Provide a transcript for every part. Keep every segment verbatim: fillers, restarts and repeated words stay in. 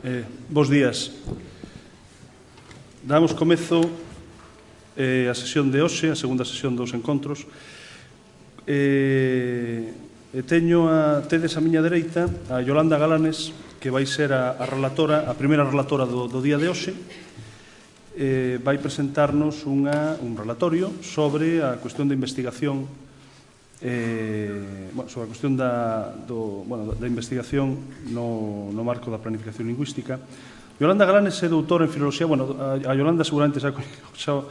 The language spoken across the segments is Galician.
Eh, bos días. Damos comezo eh, a sesión de hoxe, a segunda sesión dos encontros. Eh, e teño a, tedes a miña dereita a Yolanda Galanes, que vai ser a, a relatora, a primeira relatora do, do día de hoxe. Eh, vai presentarnos unha, un relatorio sobre a cuestión da investigación Eh, bueno, sobre a cuestión da, do, bueno, da investigación no, no marco da planificación lingüística. Yolanda Galanes é doutora en Filoloxía. Bueno, a, a Yolanda seguramente xa, xa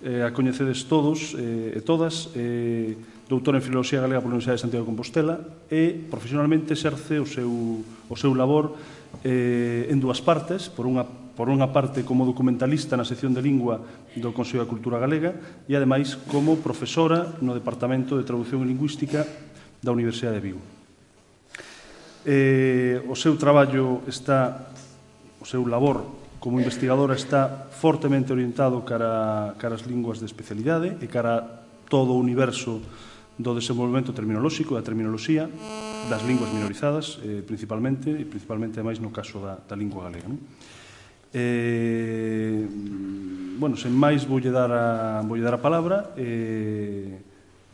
eh, a coñecedes todos eh, e todas. Eh, doutora en Filoloxía Galega pola Universidade de Santiago de Compostela e profesionalmente exerce o seu, o seu labor eh, en dúas partes. Por unha por unha parte como documentalista na sección de lingua do Consello da Cultura Galega e, ademais, como profesora no Departamento de Traducción e Lingüística da Universidade de Vigo. Eh, o seu traballo está, o seu labor como investigadora está fortemente orientado cara, cara as linguas de especialidade e cara a todo o universo do desenvolvemento terminolóxico, da terminoloxía, das linguas minorizadas, eh, principalmente, e principalmente, ademais, no caso da, da lingua galega, non? Eh, bueno, sen máis voulle dar a, voulle dar a palabra. Eh,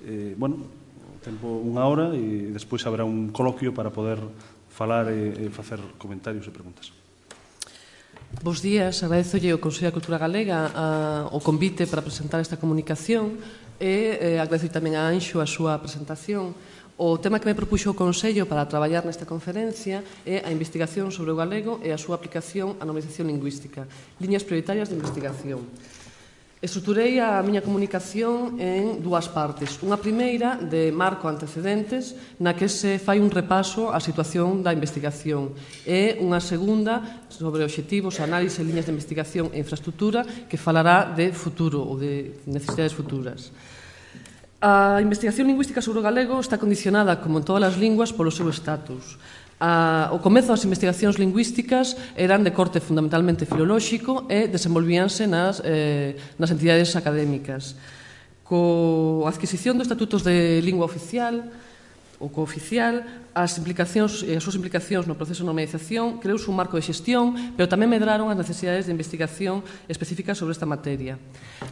eh, bueno, o tempo unha hora e despois haberá un coloquio para poder falar e, e facer comentarios e preguntas. Bos días, agradezolle ao Consello da Cultura Galega a, o convite para presentar esta comunicación e eh, agradezo tamén a Anxo a súa presentación. O tema que me propuxo o Consello para traballar nesta conferencia é a investigación sobre o galego e a súa aplicación á normalización lingüística, liñas prioritarias de investigación. Estruturei a miña comunicación en dúas partes. Unha primeira de marco antecedentes, na que se fai un repaso á situación da investigación, e unha segunda sobre obxectivos, análise, liñas de investigación e infraestructura, que falará de futuro ou de necesidades futuras. A investigación lingüística sobre o galego está condicionada, como en todas as linguas, polo seu estatus. A, o comezo das investigacións lingüísticas eran de corte fundamentalmente filolóxico e desenvolvíanse nas, eh, nas entidades académicas. Co adquisición dos estatutos de lingua oficial ou cooficial, as implicacións e as súas implicacións no proceso de normalización creouse un marco de xestión, pero tamén medraron as necesidades de investigación específicas sobre esta materia.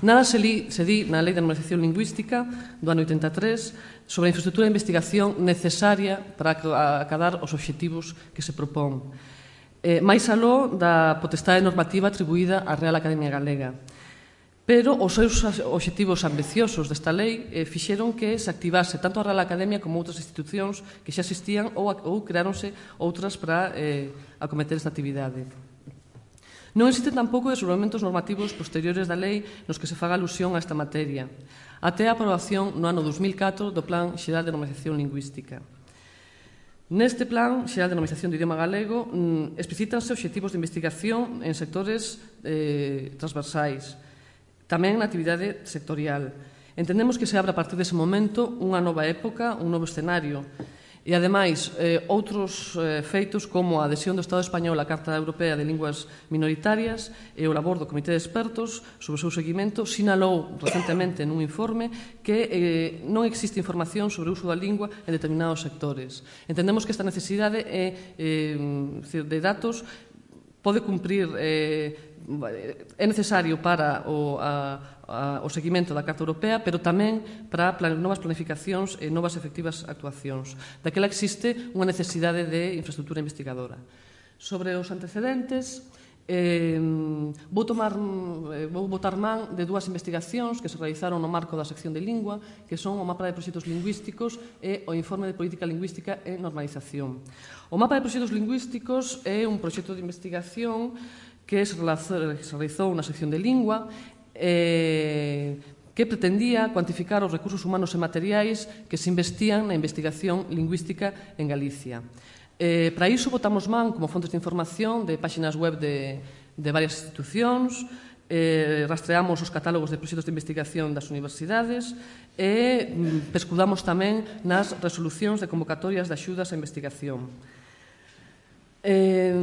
Nada se, li, se di na Lei de Normalización Lingüística do ano oitenta e tres sobre a infraestructura de investigación necesaria para acadar os obxectivos que se propón. Eh, máis aló da potestade normativa atribuída á Real Academia Galega. Pero os seus obxectivos ambiciosos desta lei eh, fixeron que se activase tanto a Real Academia como outras institucións que xa existían ou, ou creáronse outras para eh, acometer esta actividade. Non existen tampouco desenvolvementos normativos posteriores da lei nos que se faga alusión a esta materia, até a aprobación no ano dos mil catro do Plan Xeral de Normalización Lingüística. Neste Plan Xeral de Normalización do Idioma Galego mm, explicítanse obxectivos de investigación en sectores eh, transversais, tamén na actividade sectorial. Entendemos que se abre a partir dese momento unha nova época, un novo escenario. E, ademais, eh, outros eh, feitos como a adhesión do Estado español á Carta Europea de Linguas Minoritarias e o labor do Comité de Expertos sobre o seu seguimento sinalou recentemente nun informe que eh, non existe información sobre o uso da lingua en determinados sectores. Entendemos que esta necesidade é, eh, de datos pode cumprir eh, é necesario para o, a, a, o seguimento da Carta Europea, pero tamén para plan, novas planificacións e novas efectivas actuacións. Daquela existe unha necesidade de infraestructura investigadora. Sobre os antecedentes, eh, vou, tomar, eh, vou botar man de dúas investigacións que se realizaron no marco da sección de lingua, que son o mapa de proxectos lingüísticos e o informe de política lingüística e normalización. O mapa de proxectos lingüísticos é un proxecto de investigación que se realizou na sección de lingua, eh, que pretendía cuantificar os recursos humanos e materiais que se investían na investigación lingüística en Galicia. Eh, para iso botamos man como fontes de información de páxinas web de, de varias institucións, eh, rastreamos os catálogos de proxectos de investigación das universidades e mm, pescudamos tamén nas resolucións de convocatorias de axudas á investigación. Eh,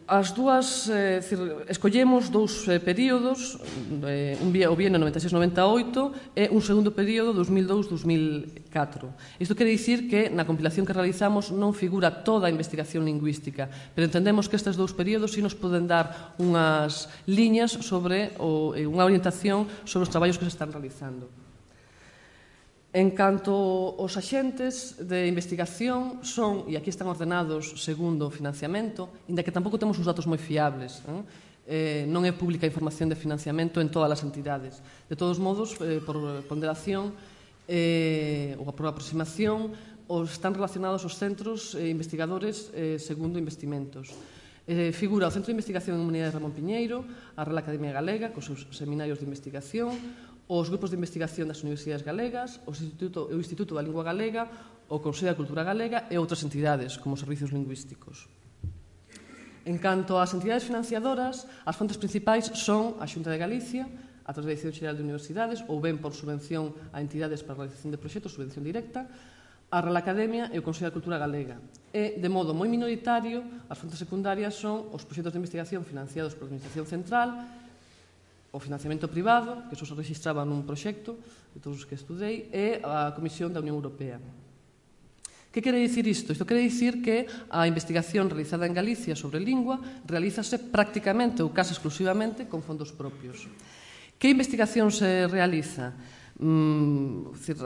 as dúas, eh, cir, escollemos dous eh, períodos, eh, un o bienio noventa e seis noventa e oito e un segundo período dos mil dous a dos mil catro. Isto quere dicir que na compilación que realizamos non figura toda a investigación lingüística, pero entendemos que estes dous períodos sí nos poden dar unhas liñas sobre, ou eh, unha orientación sobre os traballos que se están realizando. En canto aos axentes de investigación son, e aquí están ordenados segundo o financiamento, inda que tampouco temos uns datos moi fiables, eh? Eh, non é pública a información de financiamento en todas as entidades. De todos modos, eh, por ponderación eh, ou por aproximación, os están relacionados os centros eh, investigadores eh, segundo investimentos. Eh, figura o Centro de Investigación en Humanidades Ramón Piñeiro, a Real Academia Galega, cos seus seminarios de investigación, os grupos de investigación das universidades galegas, o Instituto, o Instituto da Lingua Galega, o Consello da Cultura Galega e outras entidades, como servicios lingüísticos. En canto ás entidades financiadoras, as fontes principais son a Xunta de Galicia, a través da Dirección Xeral de Universidades, ou ben por subvención a entidades para a realización de proxectos, subvención directa, a Real Academia e o Consello da Cultura Galega. E, de modo moi minoritario, as fontes secundarias son os proxectos de investigación financiados pola Administración Central, o financiamento privado, que só se registraba nun proxecto, de todos os que estudei, e a Comisión da Unión Europea. Que quere dicir isto? Isto quere dicir que a investigación realizada en Galicia sobre lingua realízase prácticamente ou case exclusivamente con fondos propios. Que investigación se realiza? Mm, decir,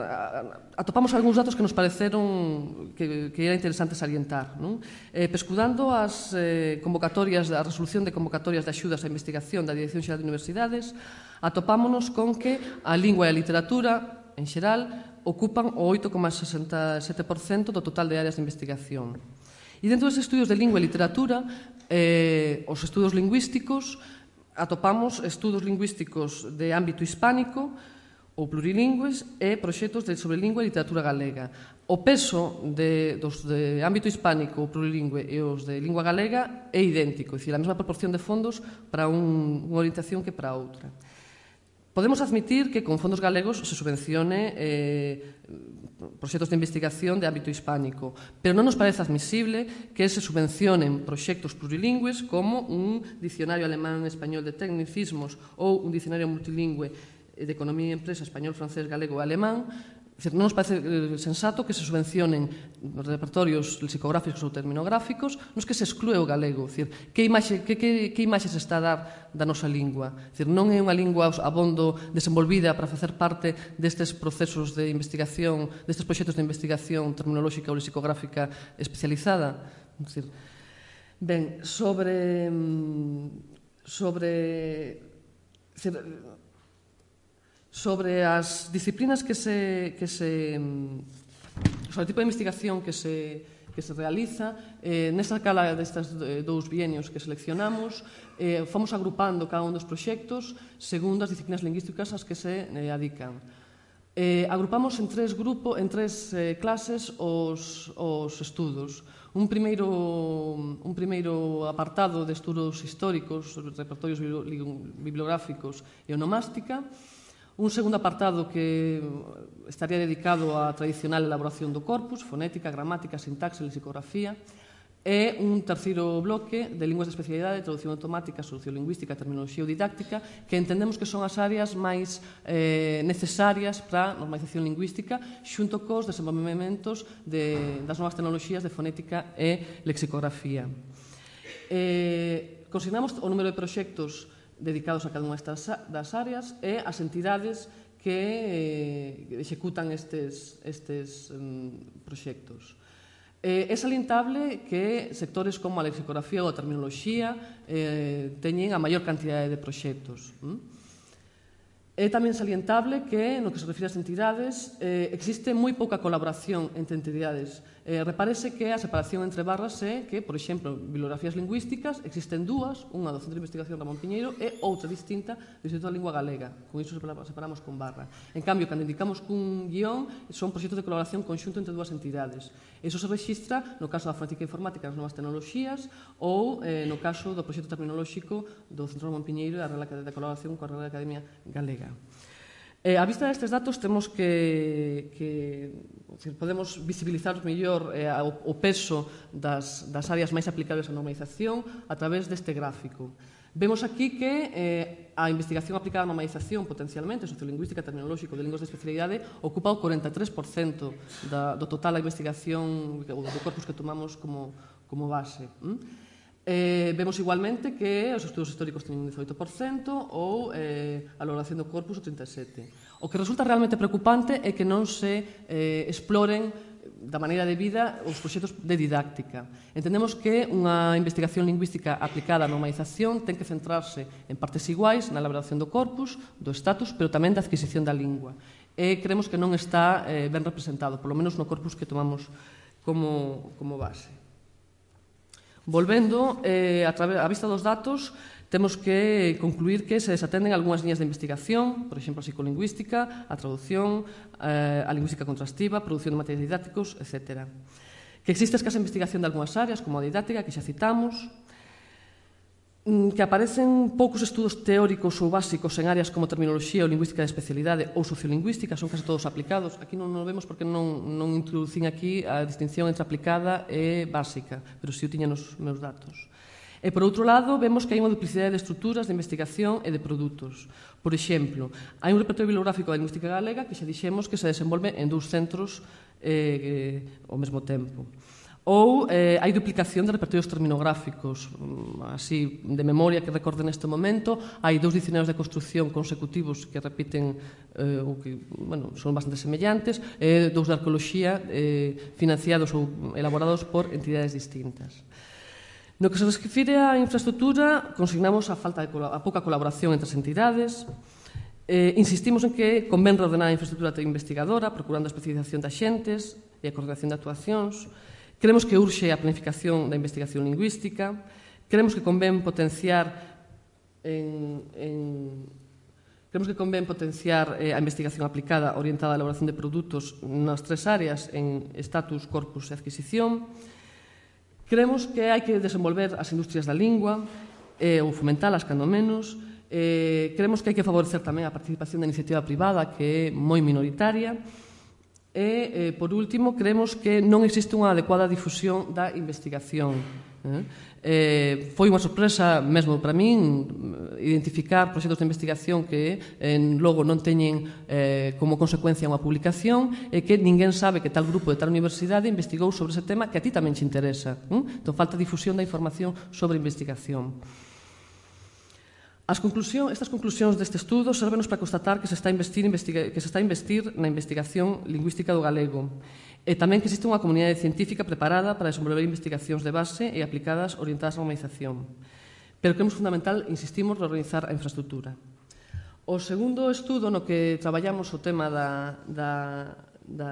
atopamos algúns datos que nos pareceron que, que era interesante salientar, non? Eh, pescudando as eh, convocatorias, a resolución de convocatorias de axudas á investigación da Dirección Xeral de Universidades, atopámonos con que a lingua e a literatura en xeral ocupan o oito coma sesenta e sete por cento do total de áreas de investigación. E dentro dos estudios de lingua e literatura, eh, os estudos lingüísticos, atopamos estudos lingüísticos de ámbito hispánico ou plurilingües e proxectos de sobre lingua e literatura galega. O peso de, dos de ámbito hispánico ou plurilingüe e os de lingua galega é idéntico, é dicir, a mesma proporción de fondos para un, unha orientación que para outra. Podemos admitir que con fondos galegos se subvencione eh, proxectos de investigación de ámbito hispánico, pero non nos parece admisible que se subvencionen proxectos plurilingües como un dicionario alemán-español de tecnicismos ou un dicionario multilingüe de economía e empresa español, francés, galego e alemán. Non nos parece sensato que se subvencionen repertorios lexicográficos ou terminográficos nos que se exclúe o galego. Que imaxe, que, que, que imaxe se está a dar da nosa lingua? Non é unha lingua abondo desenvolvida para facer parte destes procesos de investigación, destes proxectos de investigación terminolóxica ou lexicográfica especializada? Ben, sobre... sobre... sobre as disciplinas que se, que se sobre o tipo de investigación que se, que se realiza, eh, nesta cala destes dous bienios que seleccionamos, eh, fomos agrupando cada un dos proxectos segundo as disciplinas lingüísticas ás que se eh, adican. Eh, agrupamos en tres grupos, en tres eh, clases os, os estudos. Un primeiro, un primeiro apartado de estudos históricos, repertorios bibliográficos e onomástica. Un segundo apartado que estaría dedicado á tradicional elaboración do corpus, fonética, gramática, sintaxe, lexicografía, e un terceiro bloque de linguas de especialidade, traducción automática, sociolingüística, terminoloxía ou didáctica, que entendemos que son as áreas máis eh, necesarias para a normalización lingüística, xunto cos desenvolvementos de, das novas tecnoloxías de fonética e lexicografía. Eh, consignamos o número de proxectos dedicados a cada unha das áreas e as entidades que eh, executan estes, estes um, proxectos. Eh, é salientable que sectores como a lexicografía ou a terminoloxía eh, teñen a maior cantidade de proxectos. ¿Mm? É tamén salientable que, no que se refire ás entidades, eh, existe moi pouca colaboración entre entidades. Eh, repárese que a separación entre barras é que, por exemplo, bibliografías lingüísticas existen dúas, unha do Centro de Investigación Ramón Piñeiro e outra distinta do Instituto da Lingua Galega. Con iso separamos con barra. En cambio, cando indicamos cun guión, son proxectos de colaboración conxunto entre dúas entidades. Iso se registra no caso da fonética informática das novas tecnoloxías ou eh, no caso do proxecto terminolóxico do Centro Ramón Piñeiro e a Real Academia de Colaboración coa Real Academia Galega. Eh, a vista destes datos temos que, que decir, podemos visibilizar mellor eh, o, o peso das, das áreas máis aplicables á normalización a través deste gráfico. Vemos aquí que eh, a investigación aplicada á normalización, potencialmente, sociolingüística, terminolóxico, de linguas de especialidade, ocupa o cuarenta e tres por cento da, do total da investigación, do corpus que tomamos como, como base. ¿Mm? Eh, vemos igualmente que os estudos históricos teñen un dezoito por cento ou eh, a elaboración do corpus o trinta e sete por cento. O que resulta realmente preocupante é que non se eh, exploren da maneira de vida os proxectos de didáctica. Entendemos que unha investigación lingüística aplicada á normalización ten que centrarse en partes iguais na elaboración do corpus, do status, pero tamén da adquisición da lingua. E creemos que non está eh, ben representado, polo menos no corpus que tomamos como, como base. Volvendo, eh, a, través, a vista dos datos, temos que concluir que se desatenden algunhas liñas de investigación, por exemplo, a psicolingüística, a traducción, eh, a lingüística contrastiva, a produción de materiais didácticos, etcétera. Que existe escasa investigación de algunhas áreas, como a didáctica, que xa citamos, que aparecen poucos estudos teóricos ou básicos en áreas como terminoloxía ou lingüística de especialidade ou sociolingüística, son case todos aplicados. Aquí non o vemos porque non, non introducín aquí a distinción entre aplicada e básica, pero si o tiña nos meus datos. E, por outro lado, vemos que hai unha duplicidade de estruturas de investigación e de produtos. Por exemplo, hai un repertorio bibliográfico da lingüística galega que xa dixemos que se desenvolve en dous centros eh, eh, ao mesmo tempo. Ou eh, hai duplicación de repertorios terminográficos, así de memoria que recorde neste momento, hai dous dicionarios de construcción consecutivos que repiten eh, ou que, bueno, son bastante semellantes, e dous de arqueoloxía eh, financiados ou elaborados por entidades distintas. No que se refire á infraestructura, consignamos a falta de a pouca colaboración entre as entidades. Eh, insistimos en que convén reordenar a infraestructura investigadora, procurando a especialización de axentes e a coordinación de actuacións. Creemos que urxe a planificación da investigación lingüística, creemos que convén potenciar en, en, creemos que convén potenciar eh, a investigación aplicada orientada á elaboración de produtos nas tres áreas en status, corpus e adquisición. Creemos que hai que desenvolver as industrias da lingua eh, ou fomentalas, cando menos. Eh, creemos que hai que favorecer tamén a participación da iniciativa privada, que é moi minoritaria. E, eh, por último, creemos que non existe unha adecuada difusión da investigación. Eh? Eh, foi unha sorpresa, mesmo para min, identificar proxectos de investigación que eh, logo non teñen eh, como consecuencia unha publicación e que ninguén sabe que tal grupo de tal universidade investigou sobre ese tema que a ti tamén te interesa. Eh? Entón, falta difusión da información sobre investigación. As conclusión, estas conclusións deste estudo servenos para constatar que se está a investir, investiga, que se está a investir na investigación lingüística do galego e tamén que existe unha comunidade científica preparada para desenvolver investigacións de base e aplicadas orientadas á normalización. Pero creemos fundamental, insistimos, reorganizar a infraestructura. O segundo estudo no que traballamos o tema da, da, da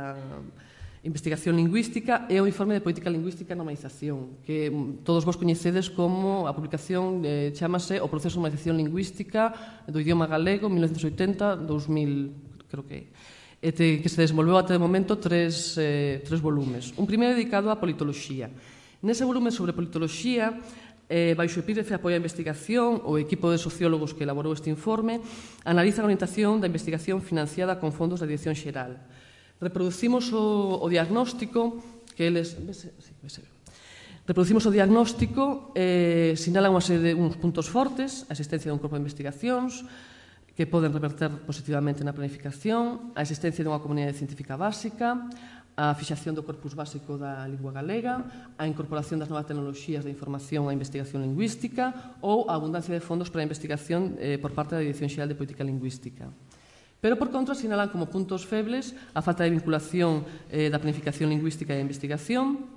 investigación lingüística é o informe de política lingüística e normalización, que todos vos coñecedes como a publicación eh, chamase O proceso de normalización lingüística do idioma galego mil novecentos oitenta a dous mil, creo que é, que se desenvolveu até o momento tres, eh, tres volumes. Un primeiro dedicado á politoloxía. Nese volume sobre politoloxía, eh, baixo o epígrafe Apoio á investigación, o equipo de sociólogos que elaborou este informe analiza a orientación da investigación financiada con fondos da Dirección Xeral. Reproducimos o, o diagnóstico que eles... Vese, sí, vese. Reproducimos o diagnóstico, eh, sinalan unha serie de uns puntos fortes, a existencia dun corpo de investigacións que poden reverter positivamente na planificación, a existencia dunha comunidade científica básica, a fixación do corpus básico da lingua galega, a incorporación das novas tecnoloxías de información á investigación lingüística ou a abundancia de fondos para a investigación eh, por parte da Dirección Xeral de Política Lingüística. Pero, por contra, sinalan como puntos febles a falta de vinculación eh, da planificación lingüística e a investigación,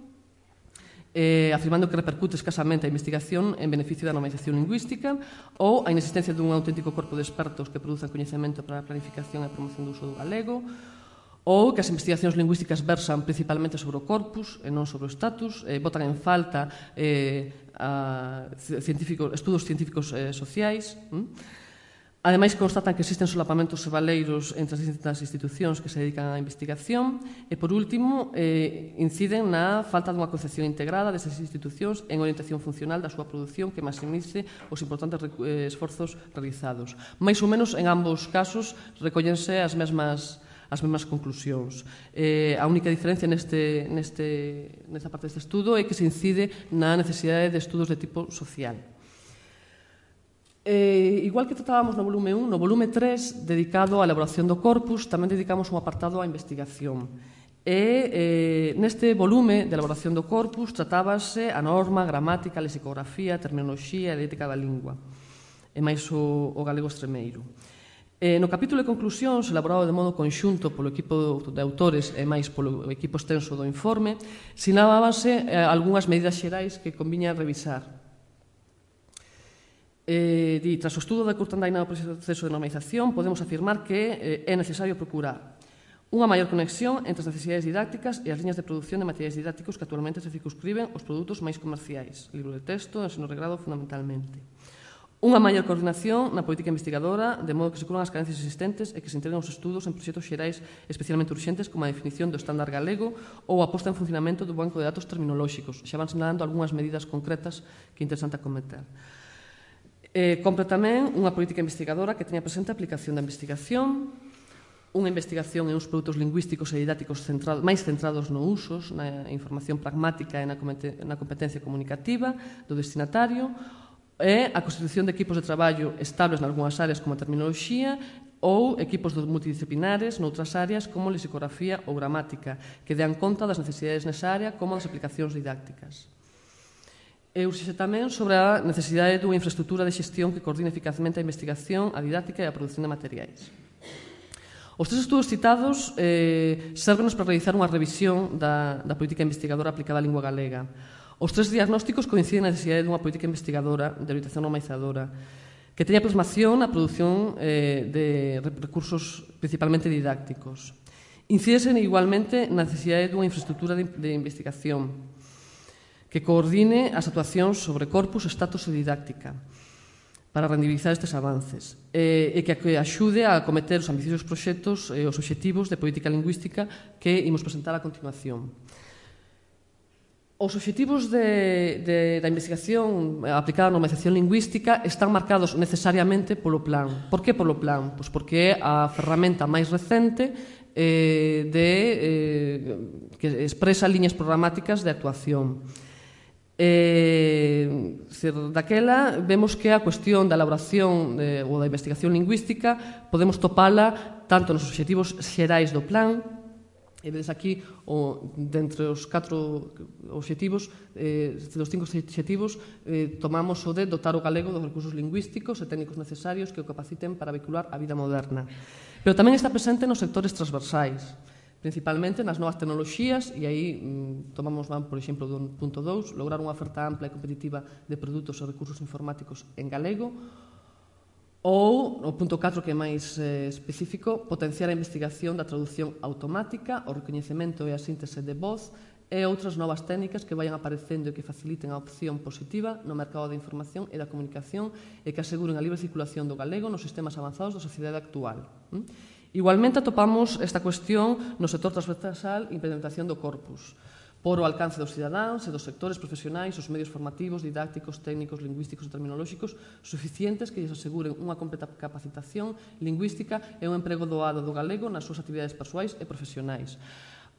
eh, afirmando que repercute escasamente a investigación en beneficio da normalización lingüística ou a inexistencia dun auténtico corpo de expertos que produzan coñecemento para a planificación e a promoción do uso do galego, ou que as investigacións lingüísticas versan principalmente sobre o corpus e non sobre o status, eh, botan en falta eh, a científicos, estudos científicos eh, sociais, hm? Ademais, constatan que existen solapamentos e valeiros entre as distintas institucións que se dedican á investigación e, por último, eh, inciden na falta dunha concepción integrada desas institucións en orientación funcional da súa produción que maximice os importantes eh, esforzos realizados. Mais ou menos, en ambos casos, recollense as mesmas as mesmas conclusións. Eh, a única diferencia neste, neste, nesta parte deste estudo é que se incide na necesidade de estudos de tipo social. Eh, igual que tratábamos no volume un, no volume tres, dedicado á elaboración do corpus, tamén dedicamos un apartado á investigación. E eh, neste volume de elaboración do corpus tratábase a norma, gramática, lexicografía, terminoloxía e ética da lingua, e máis o, o galego extremeiro. Eh, no capítulo de conclusións, elaborado de modo conxunto polo equipo de autores e máis polo equipo extenso do informe, sinalábanse eh, algunhas medidas xerais que conviña revisar. Eh, di, tras o estudo da curta andaina do proceso de normalización, podemos afirmar que eh, é necesario procurar unha maior conexión entre as necesidades didácticas e as liñas de produción de materiais didácticos que actualmente se circunscriben aos produtos máis comerciais, libro de texto, ensino regrado fundamentalmente. Unha maior coordinación na política investigadora, de modo que se curan as carencias existentes e que se integren os estudos en proxectos xerais especialmente urxentes como a definición do estándar galego ou a posta en funcionamento do banco de datos terminolóxicos. Xa van sinalando algunhas medidas concretas que é interesante acometer. Eh, compre tamén unha política investigadora que teña presente a aplicación da investigación, unha investigación en uns produtos lingüísticos e didácticos centrado, máis centrados no usos, na información pragmática e na competencia comunicativa do destinatario, e a constitución de equipos de traballo estables nalgúnas áreas como a terminoloxía ou equipos multidisciplinares noutras áreas como lexicografía ou gramática, que dean conta das necesidades nesa área como das aplicacións didácticas. E urxe tamén sobre a necesidade dunha infraestructura de xestión que coordine eficazmente a investigación, a didáctica e a produción de materiais. Os tres estudos citados eh, servenos para realizar unha revisión da, da política investigadora aplicada á lingua galega. Os tres diagnósticos coinciden na necesidade dunha política investigadora de orientación normalizadora que teña plasmación na produción eh, de recursos principalmente didácticos. Incídese igualmente na necesidade dunha infraestructura de, de investigación que coordine as actuacións sobre corpus, estatus e didáctica para rendibilizar estes avances e que axude a acometer os ambiciosos proxectos e os obxectivos de política lingüística que imos presentar a continuación. Os obxectivos de, de, da investigación aplicada á normalización lingüística están marcados necesariamente polo plan. Por que polo plan? Pois porque é a ferramenta máis recente eh, de, eh, que expresa liñas programáticas de actuación. Eh, daquela vemos que a cuestión da elaboración de, ou da investigación lingüística podemos topala tanto nos obxectivos xerais do plan, e vedes aquí o, dentre os catro obxectivos eh, dos cinco obxectivos eh, tomamos o de dotar o galego dos recursos lingüísticos e técnicos necesarios que o capaciten para vehicular a vida moderna, pero tamén está presente nos sectores transversais, principalmente nas novas tecnoloxías, e aí mm, tomamos, por exemplo, do punto dous, lograr unha oferta ampla e competitiva de produtos e recursos informáticos en galego, ou, o punto catro, que é máis eh, específico, potenciar a investigación da traducción automática, o recoñecemento e a síntese de voz, e outras novas técnicas que vayan aparecendo e que faciliten a opción positiva no mercado da información e da comunicación e que aseguren a libre circulación do galego nos sistemas avanzados da sociedade actual. ¿Mm? Igualmente atopamos esta cuestión no sector transversal e implementación do corpus, por o alcance dos cidadáns e dos sectores profesionais, os medios formativos, didácticos, técnicos, lingüísticos e terminolóxicos suficientes que lles aseguren unha completa capacitación lingüística e un emprego doado do galego nas súas actividades persoais e profesionais.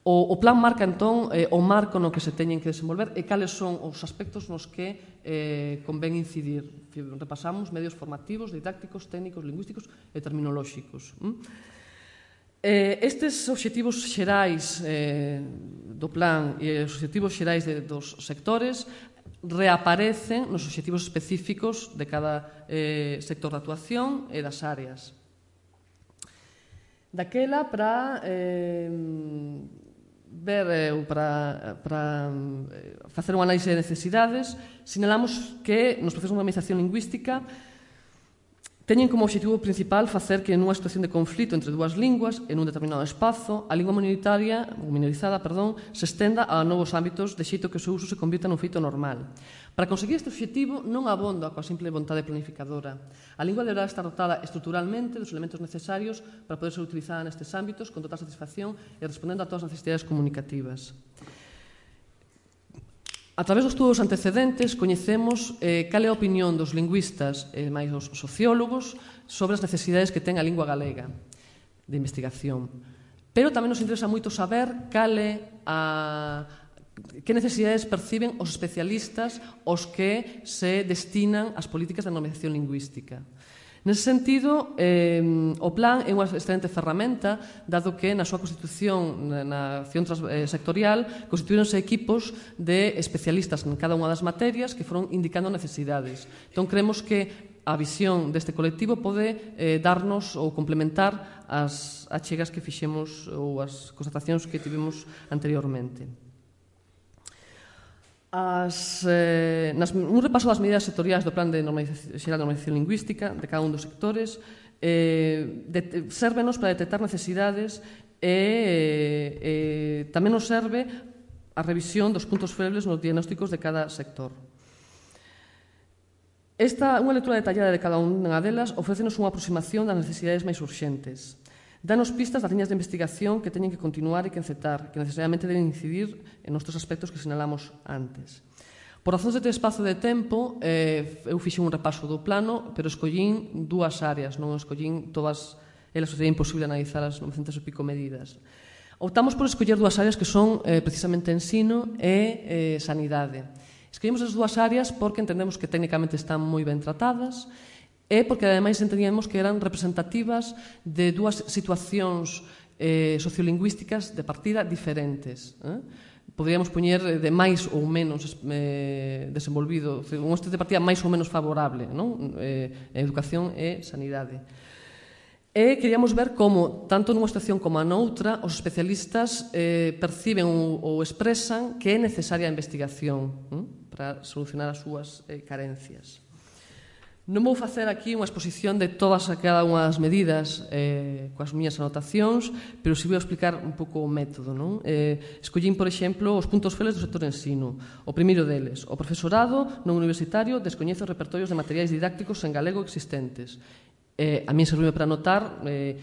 O, o plan marca, entón, eh, o marco no que se teñen que desenvolver e cales son os aspectos nos que eh, convén incidir. Repasamos medios formativos, didácticos, técnicos, lingüísticos e terminolóxicos. ¿Mm? Eh, estes obxectivos xerais eh, do plan e os obxectivos xerais de, dos sectores reaparecen nos obxectivos específicos de cada eh, sector de actuación e das áreas. Daquela, para eh, ver, eh, para, para eh, facer unha análise de necesidades, sinalamos que nos procesos de normalización lingüística Teñen como obxectivo principal facer que nunha situación de conflito entre dúas linguas en un determinado espazo, a lingua minoritaria, minorizada, perdón, se estenda a novos ámbitos de xeito que o seu uso se convirta nun feito normal. Para conseguir este obxectivo non abondo coa simple vontade planificadora. A lingua deberá estar dotada estruturalmente dos elementos necesarios para poder ser utilizada nestes ámbitos con total satisfacción e respondendo a todas as necesidades comunicativas. A través dos estudos antecedentes, coñecemos eh, cal é a opinión dos lingüistas e máis dos sociólogos sobre as necesidades que ten a lingua galega de investigación. Pero tamén nos interesa moito saber cal é a, que necesidades perciben os especialistas aos que se destinan as políticas de normalización lingüística. Nese sentido, eh, o plan é unha excelente ferramenta, dado que na súa constitución, na acción sectorial, constituíronse equipos de especialistas en cada unha das materias que foron indicando necesidades. Entón, creemos que a visión deste colectivo pode eh, darnos ou complementar as achegas que fixemos ou as constatacións que tivemos anteriormente. As, eh, nas, un repaso das medidas sectoriais do Plan de normalización, Xeral de Normalización Lingüística de cada un dos sectores eh, de, sérvenos para detectar necesidades e eh, tamén nos serve a revisión dos puntos febles nos diagnósticos de cada sector. Esta, unha lectura detallada de cada unha delas ofrécenos unha aproximación das necesidades máis urxentes. Danos pistas das liñas de investigación que teñen que continuar e que encetar, que necesariamente deben incidir en outros aspectos que sinalamos antes. Por razóns de espazo de tempo, eh, eu fixen un repaso do plano, pero escollín dúas áreas, non escollín todas elas, sería imposible analizar as novecentas e pico medidas. Optamos por escoller dúas áreas que son eh, precisamente ensino e eh, sanidade. Escollemos as dúas áreas porque entendemos que técnicamente están moi ben tratadas e porque ademais entendíamos que eran representativas de dúas situacións eh, sociolingüísticas de partida diferentes. Eh? Poderíamos poñer de máis ou menos eh, desenvolvido, un este de partida máis ou menos favorable, non? Eh, educación e sanidade. E queríamos ver como, tanto nunha situación como a noutra, os especialistas eh, perciben ou, ou expresan que é necesaria a investigación eh, para solucionar as súas eh, carencias. Non vou facer aquí unha exposición de todas e cada unha das medidas eh, coas miñas anotacións, pero si vou explicar un pouco o método. Non? Eh, escollín, por exemplo, os puntos febles do sector ensino. O primeiro deles, o profesorado non universitario descoñece os repertorios de materiais didácticos en galego existentes. Eh, a mí servime para notar eh,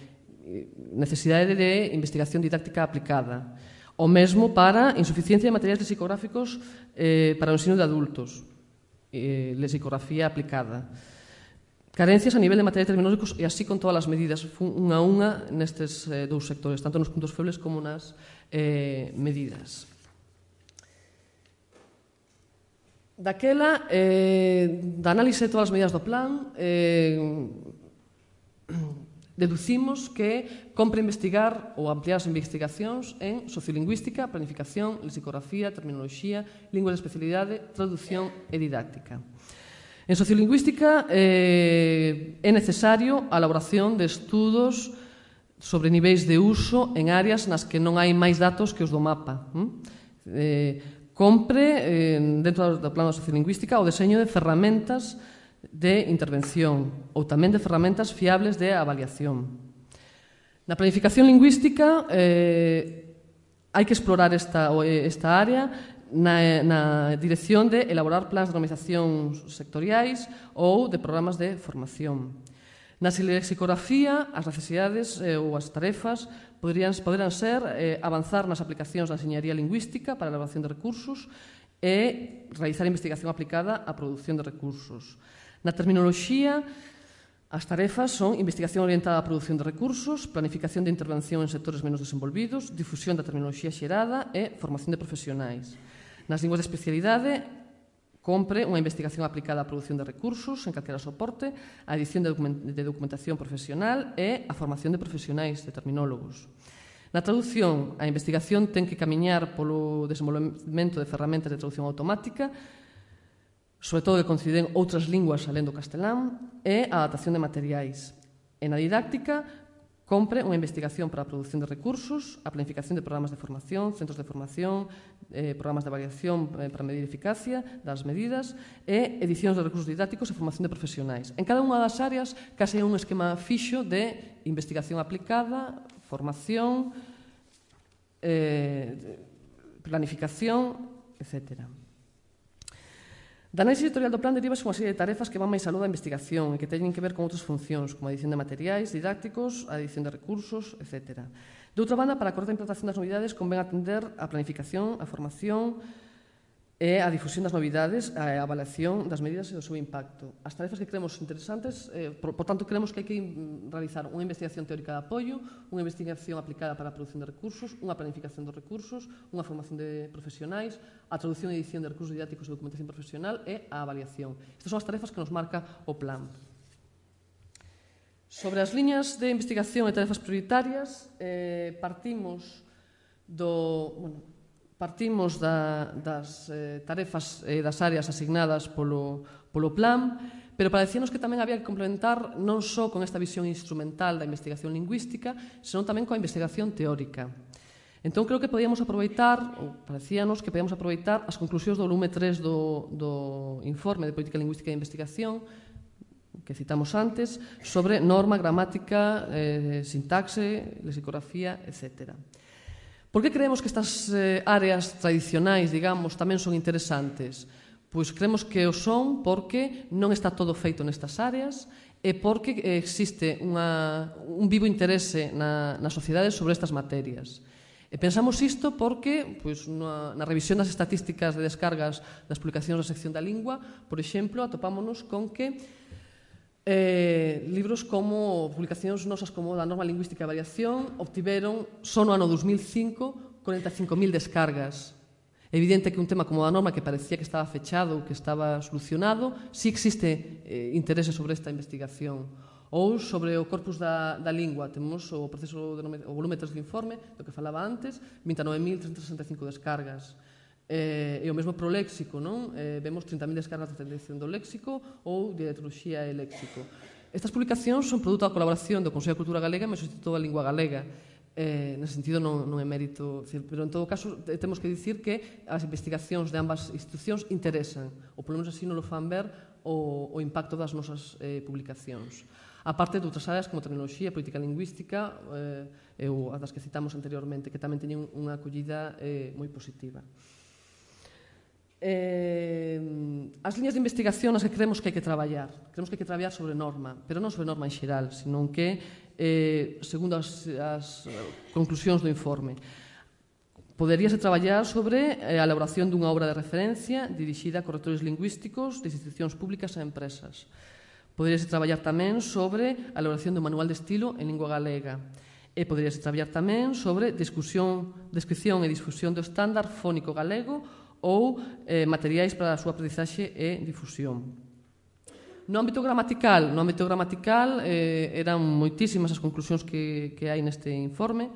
necesidade de investigación didáctica aplicada. O mesmo para insuficiencia de materiais lexicográficos eh, para o ensino de adultos. Eh, lexicografía aplicada. Carencias a nivel de materiais terminológicos e así con todas as medidas, unha a unha nestes eh, dous sectores, tanto nos puntos febles como nas eh, medidas. Daquela, eh, da análise de todas as medidas do plan, eh, deducimos que compre investigar ou ampliar as investigacións en sociolingüística, planificación, lexicografía, terminoloxía, lingua de especialidade, traducción e didáctica. En sociolingüística eh, é necesario a elaboración de estudos sobre niveis de uso en áreas nas que non hai máis datos que os do mapa. Eh, compre, eh, dentro do plano da sociolingüística, o deseño de ferramentas de intervención ou tamén de ferramentas fiables de avaliación. Na planificación lingüística eh, hai que explorar esta, esta área na, na dirección de elaborar plans de normalización sectoriais ou de programas de formación. Na lexicografía, as necesidades eh, ou as tarefas poderían, poderán ser eh, avanzar nas aplicacións da enxeñaría lingüística para a elaboración de recursos e realizar investigación aplicada á produción de recursos. Na terminoloxía, as tarefas son investigación orientada á produción de recursos, planificación de intervención en sectores menos desenvolvidos, difusión da terminoloxía xerada e formación de profesionais. Nas linguas de especialidade, compre unha investigación aplicada á produción de recursos en calquera soporte, a edición de documentación profesional e a formación de profesionais, de terminólogos. Na traducción, a investigación ten que camiñar polo desenvolvemento de ferramentas de traducción automática, sobre todo que coinciden outras linguas alén do castelán, e a adaptación de materiais. E na didáctica, Compre unha investigación para a produción de recursos, a planificación de programas de formación, centros de formación, eh, programas de avaliación eh, para medir eficacia das medidas e edicións de recursos didácticos e formación de profesionais. En cada unha das áreas, case un esquema fixo de investigación aplicada, formación, eh, planificación, etcétera. Da análise editorial do plan derivase unha serie de tarefas que van máis aló da investigación e que teñen que ver con outras funcións, como a edición de materiais didácticos, a edición de recursos, etcétera. De outra banda, para a correcta implantación das novidades, convén atender a planificación, a formación e a difusión das novidades, a avaliación das medidas e do seu impacto. As tarefas que creemos interesantes, eh, por, por tanto, creemos que hai que realizar unha investigación teórica de apoio, unha investigación aplicada para a produción de recursos, unha planificación dos recursos, unha formación de profesionais, a traducción e edición de recursos didácticos e documentación profesional e a avaliación. Estas son as tarefas que nos marca o plan. Sobre as liñas de investigación e tarefas prioritarias, eh, partimos do... Bueno, Partimos da, das eh, tarefas e eh, das áreas asignadas polo, polo plan, pero parecíanos que tamén había que complementar non só con esta visión instrumental da investigación lingüística, senón tamén coa investigación teórica. Entón, creo que podíamos aproveitar, ou parecíanos que podíamos aproveitar as conclusións do volume tres do, do informe de Política Lingüística e Investigación, que citamos antes, sobre norma, gramática, eh, sintaxe, lexicografía, etcétera. Por que creemos que estas eh, áreas tradicionais, digamos, tamén son interesantes? Pois creemos que o son porque non está todo feito nestas áreas e porque existe unha, un vivo interese na, na sociedade sobre estas materias. E pensamos isto porque, pois, na, na revisión das estatísticas de descargas das publicacións da sección da lingua, por exemplo, atopámonos con que Eh, libros como publicacións nosas como da norma lingüística e variación obtiveron só no ano dos mil cinco corenta e cinco mil descargas. É evidente que un tema como a norma que parecía que estaba fechado, que estaba solucionado, si existe eh, interese sobre esta investigación. Ou sobre o corpus da, da lingua, temos o proceso de, o volume tres do informe, do que falaba antes, vinte e nove mil trescentas sesenta e cinco descargas. Eh, e o mesmo pro léxico, non? Eh, vemos trinta mil descargas de edición do léxico ou de dialectoloxía e léxico. Estas publicacións son produto da colaboración do Consello de Cultura Galega e do Instituto da Lingua Galega. Eh, nese sentido non, non é mérito, pero en todo caso temos que dicir que as investigacións de ambas institucións interesan, ou polo menos así non lo fan ver o, o impacto das nosas eh, publicacións. A parte de outras áreas como tecnoloxía, política lingüística eh, ou as das que citamos anteriormente, que tamén teñen unha acollida eh, moi positiva. Eh, as liñas de investigación nas que creemos que hai que traballar. Creemos que hai que traballar sobre norma, pero non sobre norma en xeral, senón que, eh, segundo as, as conclusións do informe, poderíase traballar sobre a elaboración dunha obra de referencia dirixida a correctores lingüísticos de institucións públicas e empresas. Poderíase traballar tamén sobre a elaboración do manual de estilo en lingua galega. E poderíase traballar tamén sobre discusión, descripción e difusión do estándar fónico galego ou eh, materiais para a súa aprendizaxe e difusión. No ámbito gramatical, no ámbito gramatical eh, eran moitísimas as conclusións que, que hai neste informe.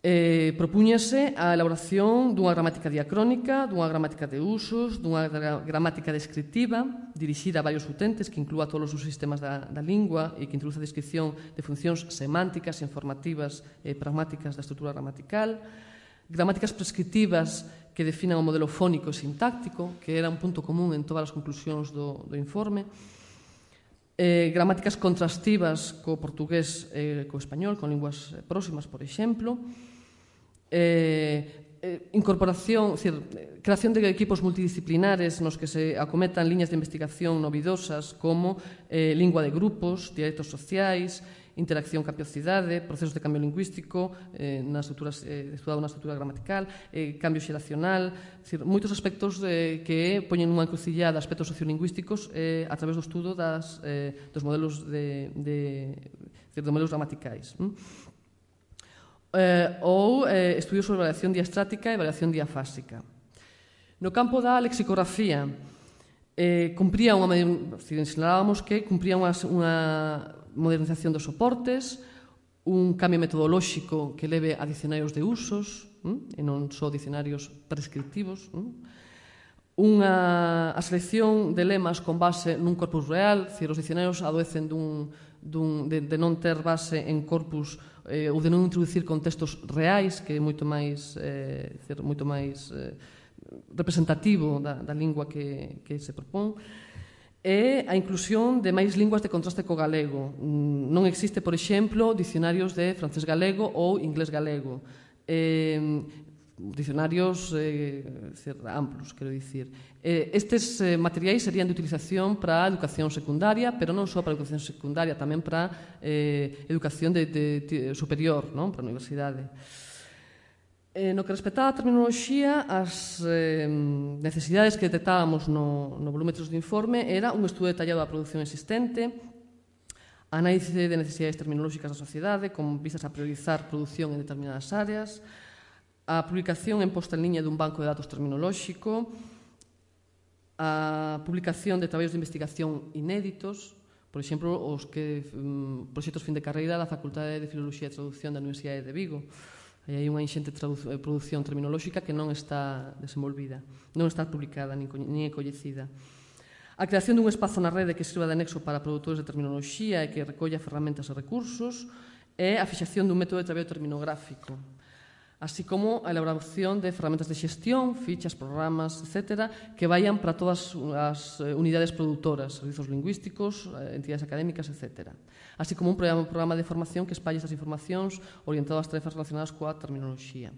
Eh, propúñase a elaboración dunha gramática diacrónica, dunha gramática de usos, dunha gramática descriptiva dirixida a varios utentes que inclúa todos os sistemas da, da lingua e que introduce a descripción de funcións semánticas, informativas e pragmáticas da estrutura gramatical, gramáticas prescriptivas que definan o modelo fónico e sintáctico, que era un punto común en todas as conclusións do, do informe, eh, gramáticas contrastivas co portugués e co español, con linguas próximas, por exemplo, eh, eh, incorporación, decir, creación de equipos multidisciplinares nos que se acometan liñas de investigación novidosas como eh, lingua de grupos, dialectos sociais, interacción cambio-cidade, procesos de cambio lingüístico, eh, na estrutura, eh, estudado na estrutura gramatical, eh, cambio xeracional, decir, moitos aspectos eh, que poñen unha encrucillada de aspectos sociolingüísticos eh, a través do estudo das, eh, dos modelos de, de, de, de modelos gramaticais. Hm? Eh, ou eh, estudios sobre variación diastrática e variación diafásica. No campo da lexicografía, eh, cumpría unha, sinalábamos que cumpría unha, unha modernización dos soportes, un cambio metodolóxico que leve a dicionarios de usos, hm? e non só dicionarios prescriptivos, hm? unha, a selección de lemas con base nun corpus real, dicir, os dicionarios adoecen dun, dun, de, de non ter base en corpus eh, ou de non introducir contextos reais, que é moito máis, eh, dicir, moito máis eh, representativo da, da lingua que, que se propón, e a inclusión de máis linguas de contraste co galego. Non existe, por exemplo, dicionarios de francés galego ou inglés galego. Eh, dicionarios eh, amplos, quero dicir. Eh, estes eh, materiais serían de utilización para a educación secundaria, pero non só para a educación secundaria, tamén para eh, educación de, de, de superior, non? Para a universidade. Eh, no que respectaba a terminoloxía, as eh, necesidades que detectábamos no, no volúmetros do informe era un estudo detallado da produción existente, análise de necesidades terminolóxicas da sociedade, con vistas a priorizar produción en determinadas áreas, a publicación en posta en liña dun banco de datos terminolóxico, a publicación de traballos de investigación inéditos, por exemplo, os que um, proxectos fin de carreira da Facultade de Filoloxía e Traducción da Universidade de Vigo. Aí hai unha inxente produción terminolóxica que non está desenvolvida, non está publicada, nin é coñecida. A creación dun espazo na rede que sirva de anexo para produtores de terminoloxía e que recolla ferramentas e recursos e a fixación dun método de traballo terminográfico, así como a elaboración de ferramentas de xestión, fichas, programas, etcétera, que vayan para todas as unidades produtoras, servizos lingüísticos, entidades académicas, etcétera. Así como un programa, un programa de formación que espalle estas informacións orientado ás tarefas relacionadas coa terminoloxía.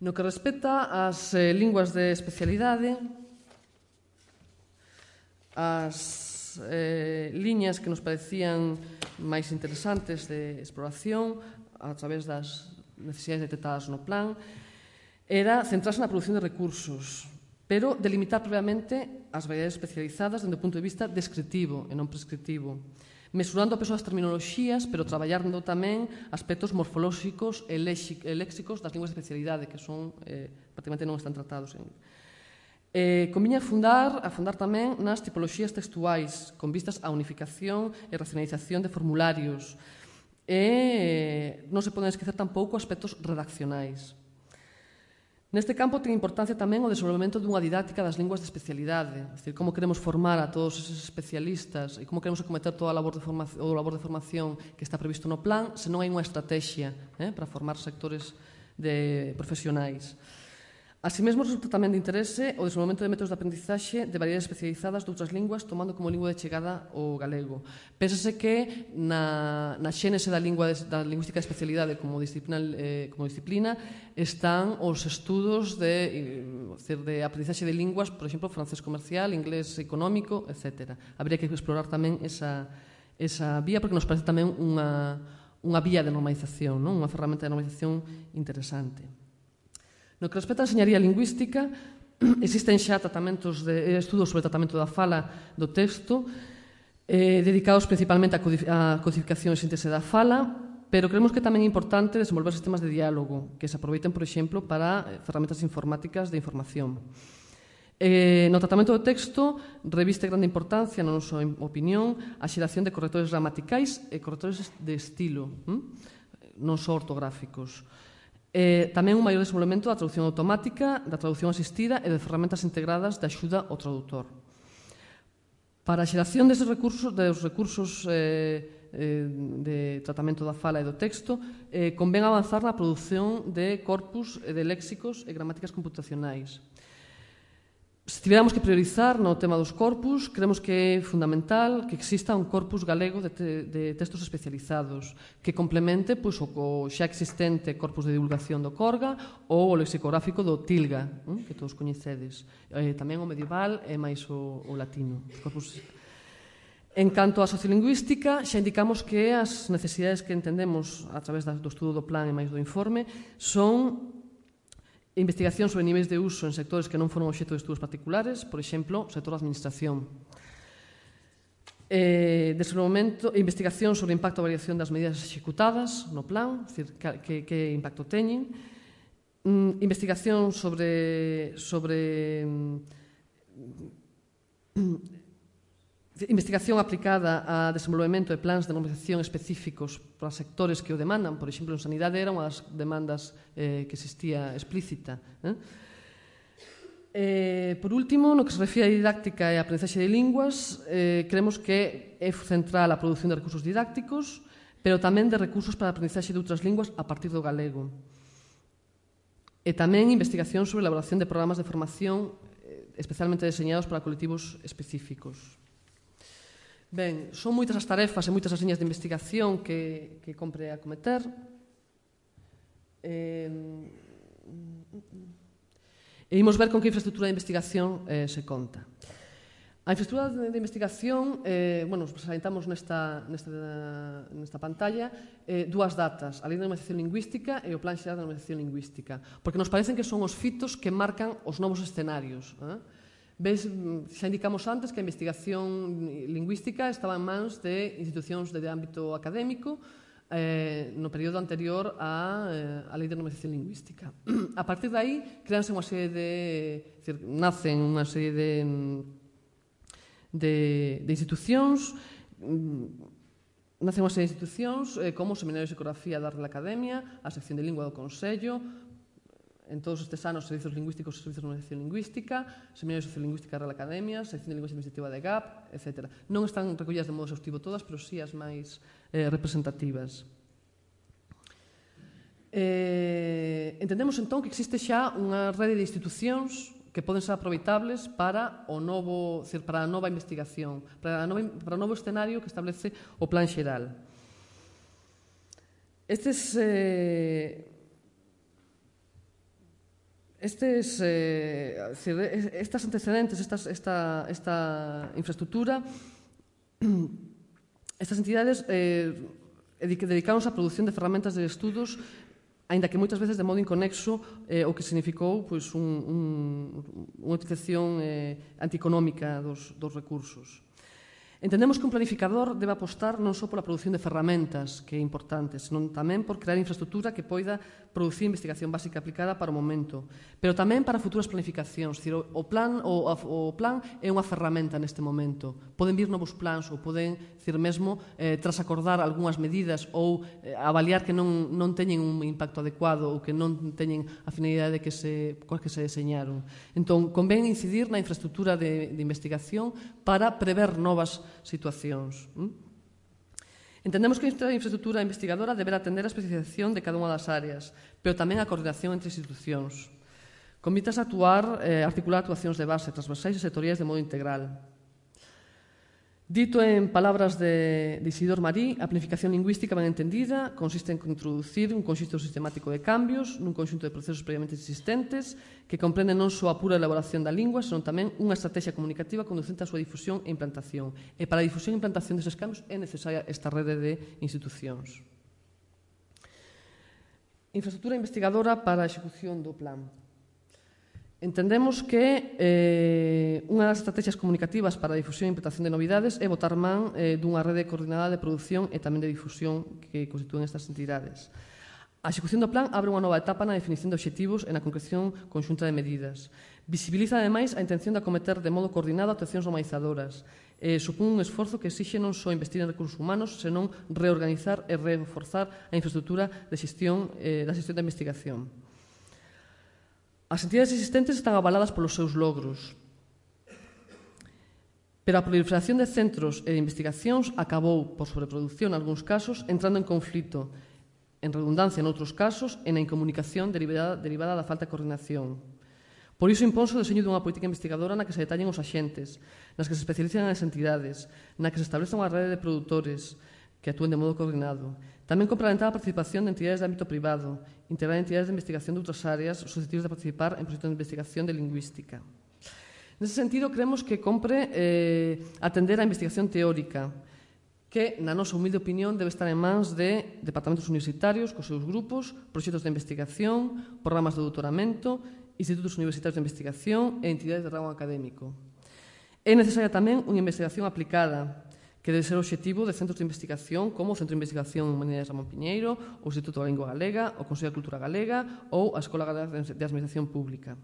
No que respecta ás eh, linguas de especialidade, as eh, liñas que nos parecían máis interesantes de exploración a través das necesidades detectadas no plan era centrarse na produción de recursos, pero delimitar previamente as variedades especializadas dende o punto de vista descritivo e non prescritivo, mesurando a peso das terminoloxías, pero traballando tamén aspectos morfolóxicos e léxicos das linguas de especialidade, que son, eh, prácticamente non están tratados en... Eh, conviña fundar, afundar tamén nas tipoloxías textuais, con vistas á unificación e racionalización de formularios, e non se poden esquecer tampouco aspectos redaccionais. Neste campo ten importancia tamén o desenvolvemento dunha didáctica das linguas de especialidade, é dicir, como queremos formar a todos eses especialistas e como queremos acometer toda a labor de formación, o labor de formación que está previsto no plan, se non hai unha estrategia eh, para formar sectores de profesionais. Así mesmo, resulta tamén de interese o desenvolvemento de métodos de aprendizaxe de variedades especializadas de outras linguas, tomando como lingua de chegada o galego. Pénsase que na, na xénese da, lingua de, da lingüística de especialidade como disciplina, eh, como disciplina están os estudos de, eh, de aprendizaxe de linguas, por exemplo, francés comercial, inglés económico, etcétera. Habría que explorar tamén esa, esa vía, porque nos parece tamén unha, unha vía de normalización, non? Unha ferramenta de normalización interesante. No que respecta a enseñaría lingüística, existen xa tratamentos de estudos sobre o tratamento da fala do texto, eh, dedicados principalmente á codificación e síntese da fala, pero creemos que tamén é importante desenvolver sistemas de diálogo que se aproveiten, por exemplo, para ferramentas informáticas de información. Eh, no tratamento do texto, reviste grande importancia, na nosa opinión, a xeración de correctores gramaticais e correctores de estilo, hm? non só ortográficos. Eh, tamén un maior desenvolvemento da traducción automática, da traducción asistida e de ferramentas integradas de axuda ao traductor. Para a xeración destes recursos, dos recursos eh, eh, de tratamento da fala e do texto, eh, convén avanzar na produción de corpus de léxicos e gramáticas computacionais. Se tiveramos que priorizar no tema dos corpus, creemos que é fundamental que exista un corpus galego de, te, de textos especializados que complemente pois, o, o xa existente corpus de divulgación do Corga ou o lexicográfico do Tilga, eh, que todos coñecedes. Eh, tamén o medieval e máis o, o latino. Corpus... En canto á sociolingüística, xa indicamos que as necesidades que entendemos a través do estudo do plan e máis do informe son investigación sobre niveis de uso en sectores que non foron obxecto de estudos particulares, por exemplo, o sector da administración. Eh, desenvolvemento e investigación sobre o impacto e variación das medidas executadas no plan, é dicir, que, que impacto teñen. Mm, investigación sobre, sobre mm, investigación aplicada a desenvolvemento de plans de normalización específicos para sectores que o demandan. Por exemplo, en sanidade era unha das demandas eh, que existía explícita. Eh? Eh, por último, no que se refire a didáctica e a aprendizaxe de linguas, eh, creemos que é central a produción de recursos didácticos, pero tamén de recursos para a aprendizaxe de outras linguas a partir do galego. E tamén investigación sobre a elaboración de programas de formación eh, especialmente deseñados para colectivos específicos. Ben, son moitas as tarefas e moitas as liñas de investigación que, que compre acometer. Eh, E imos ver con que infraestructura de investigación eh, se conta. A infraestructura de, de investigación, eh, bueno, presentamos nesta, nesta, nesta pantalla eh, dúas datas, a Lei de Normalización Lingüística e o Plan Xeral de Normalización Lingüística, porque nos parecen que son os fitos que marcan os novos escenarios. Eh? Ves, xa indicamos antes que a investigación lingüística estaba en mans de institucións de ámbito académico, Eh, no período anterior á eh, a Lei de Normalización Lingüística. A partir de aí, creanse unha serie de... Decir, nacen unha serie de, de, de institucións, nacen unha serie de institucións eh, como o Seminario de Psicografía da Real Academia, a Sección de Lingua do Consello, en todos estes anos, Servizos Lingüísticos e Servizos de Normalización Lingüística, Seminario de Sociolingüística da Real Academia, Sección de Lingüística Administrativa de G A P, etcétera. Non están recollidas de modo exhaustivo todas, pero sí as máis eh, representativas. Eh, entendemos entón que existe xa unha rede de institucións que poden ser aproveitables para o novo, para a nova investigación, para, a nova, para o novo escenario que establece o Plan Xeral. Estes... Eh, Estes, eh, estas antecedentes, estas, esta, esta infraestructura, estas entidades eh, dedicaronse á produción de ferramentas de estudos, aínda que moitas veces de modo inconexo, eh, o que significou pois, un, un, unha utilización eh, antieconómica dos, dos recursos. Entendemos que un planificador debe apostar non só pola produción de ferramentas, que é importante, senón tamén por crear infraestructura que poida producir investigación básica aplicada para o momento, pero tamén para futuras planificacións. Dicir, o, plan, o, o plan é unha ferramenta neste momento. Poden vir novos plans ou poden, dicir, mesmo, eh, tras acordar algunhas medidas ou eh, avaliar que non, non teñen un impacto adecuado ou que non teñen a finalidade que se, coas que se deseñaron. Entón, convén incidir na infraestructura de, de investigación para prever novas situacións. Entendemos que a infraestructura investigadora deberá atender a especialización de cada unha das áreas, pero tamén a coordinación entre institucións. Convitas a actuar, eh, articular actuacións de base, transversais e sectoriais de modo integral. Dito en palabras de, de Isidor Marí, a planificación lingüística ben entendida consiste en introducir un conxunto sistemático de cambios nun conxunto de procesos previamente existentes que comprenden non só a pura elaboración da lingua, senón tamén unha estrategia comunicativa conducente á súa difusión e implantación. E para a difusión e implantación deses cambios é necesaria esta rede de institucións. Infraestructura investigadora para a execución do plan. Entendemos que eh, unha das estrategias comunicativas para a difusión e implantación de novidades é botar man eh, dunha rede coordinada de produción e tamén de difusión que constitúen estas entidades. A execución do plan abre unha nova etapa na definición de obxectivos e na concreción conxunta de medidas. Visibiliza, ademais, a intención de acometer de modo coordinado actuacións normalizadoras. Eh, supón un esforzo que exixe non só investir en recursos humanos, senón reorganizar e reforzar a infraestructura de xestión, eh, da xestión da investigación. As entidades existentes están avaladas polos seus logros, pero a proliferación de centros e de investigacións acabou, por sobreproducción en algúns casos, entrando en conflito, en redundancia noutros casos e na incomunicación derivada, derivada da falta de coordinación. Por iso imponse o deseño dunha política investigadora na que se detallen os axentes, nas que se especializan as entidades, na que se estableza unha rede de produtores que actúen de modo coordinado. Tamén complementar a participación de entidades de ámbito privado, integrar entidades de investigación de outras áreas susceptibles de participar en proxectos de investigación de lingüística. Nese sentido, creemos que compre eh, atender a investigación teórica, que, na nosa humilde opinión, debe estar en mans de departamentos universitarios, cos seus grupos, proxectos de investigación, programas de doutoramento, institutos universitarios de investigación e entidades de rango académico. É necesaria tamén unha investigación aplicada, que debe ser o obxectivo de centros de investigación como o Centro de Investigación en Humanidades Ramón Piñeiro, o Instituto da Lingua Galega, o Consello de Cultura Galega ou a Escola Galega de Administración Pública,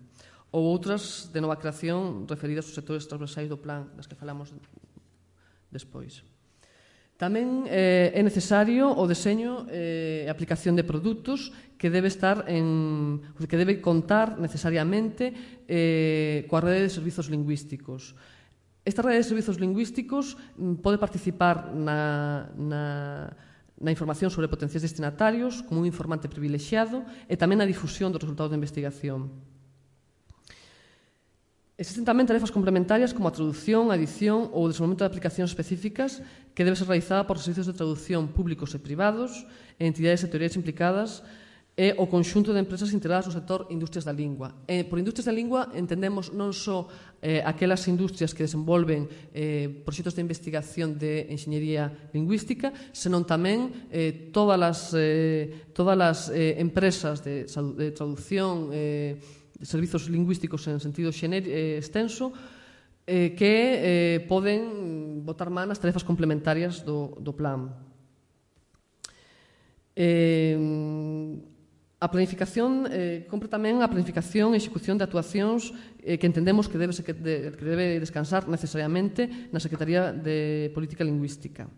ou outras de nova creación referidas aos sectores transversais do plan, das que falamos despois. Tamén eh, é necesario o deseño e eh, aplicación de produtos que debe estar en, que debe contar necesariamente eh, coa rede de servizos lingüísticos. Esta rede de servizos lingüísticos pode participar na, na, na información sobre potenciais destinatarios como un informante privilexiado e tamén na difusión dos resultados da investigación. Existen tamén tarefas complementarias como a traducción, a edición ou o desenvolvemento de aplicacións específicas que debe ser realizada por servizos de traducción públicos e privados e entidades sectoriais implicadas e o conxunto de empresas integradas no sector industrias da lingua. E por industrias da lingua entendemos non só eh, aquelas industrias que desenvolven eh, proxectos de investigación de enxeñería lingüística, senón tamén eh, todas as, eh, todas as eh, empresas de, de traducción eh, servizos lingüísticos en sentido eh, extenso eh, que eh, poden botar man as tarefas complementarias do, do plan. Eh, a planificación, eh, compre tamén a planificación e execución de actuacións eh, que entendemos que debe, que, de, que debe descansar necesariamente na Secretaría de Política Lingüística,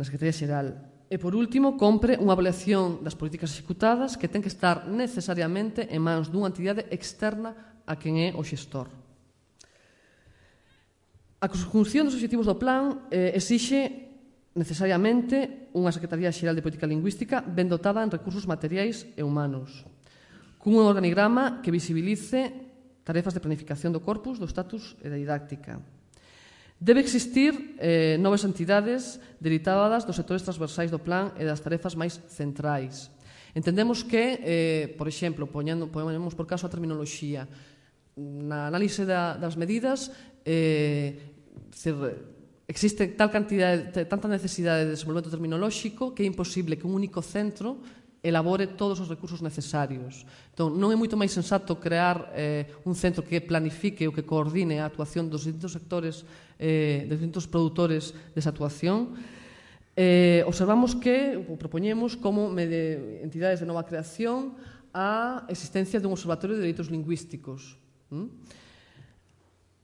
na Secretaría Xeral. E, por último, compre unha avaliación das políticas executadas que ten que estar necesariamente en mans dunha entidade externa a quen é o xestor. A conjunción dos obxectivos do plan eh, exixe necesariamente unha Secretaría Xeral de Política Lingüística ben dotada en recursos materiais e humanos, cun organigrama que visibilice tarefas de planificación do corpus, do status e da didáctica. Debe existir eh, novas entidades derivadas dos sectores transversais do plan e das tarefas máis centrais. Entendemos que, eh, por exemplo, poñendo, poñemos por caso a terminoloxía, na análise da, das medidas eh, se, existe tal cantidade, tanta necesidade de desenvolvemento terminolóxico que é imposible que un único centro elabore todos os recursos necesarios. Entón, non é moito máis sensato crear eh, un centro que planifique ou que coordine a actuación dos distintos sectores, eh, dos distintos produtores desa actuación. Eh, observamos que, ou propoñemos como de entidades de nova creación, a existencia dun observatorio de dereitos lingüísticos. ¿Mm?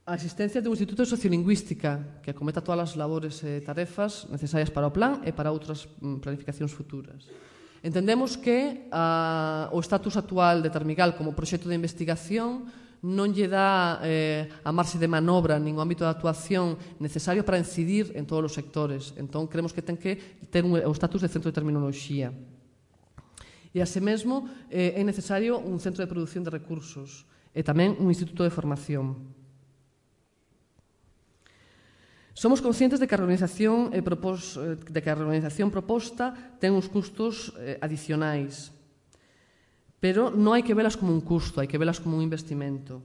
A existencia dun instituto de sociolingüística que acometa todas as labores e tarefas necesarias para o plan e para outras planificacións futuras. Entendemos que a, o estatus actual de Termigal como proxecto de investigación non lle dá eh, a marxe de manobra nin o ámbito de actuación necesario para incidir en todos os sectores. Entón, creemos que ten que ter un, o estatus de centro de terminoloxía. E, así mesmo, eh, é necesario un centro de produción de recursos e tamén un instituto de formación. Somos conscientes de que a reorganización, eh, propos, eh, de que a reorganización proposta ten uns custos eh, adicionais, pero non hai que velas como un custo, hai que velas como un investimento.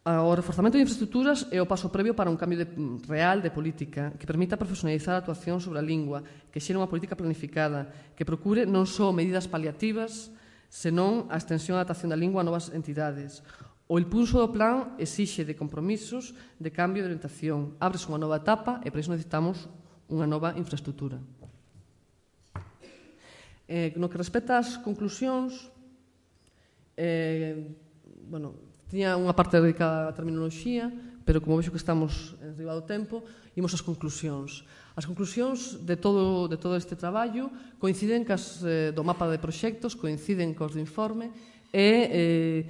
O reforzamento de infraestructuras é o paso previo para un cambio de, real de política que permita profesionalizar a actuación sobre a lingua, que xere unha política planificada, que procure non só medidas paliativas, senón a extensión e adaptación da lingua a novas entidades. O impulso do plan exixe de compromisos de cambio de orientación. Ábrese unha nova etapa e para iso necesitamos unha nova infraestructura. Eh, no que respecta ás conclusións, eh, bueno, tiña unha parte dedicada á terminoloxía, pero como vexo que estamos en riba do tempo, imos ás conclusións. As conclusións de todo, de todo este traballo coinciden cas eh, do mapa de proxectos, coinciden cos do informe e eh,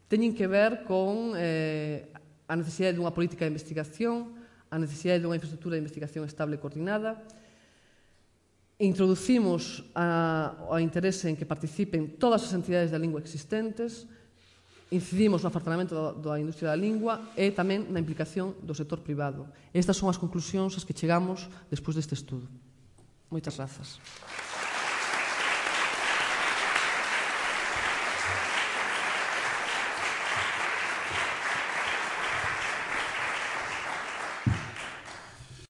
teñen que ver con eh, a necesidade dunha política de investigación, a necesidade dunha infraestructura de investigación estable e coordinada. Introducimos a, a interese en que participen todas as entidades da lingua existentes, incidimos no afartanamento da industria da lingua e tamén na implicación do sector privado. Estas son as conclusións ás que chegamos despois deste estudo. Moitas grazas.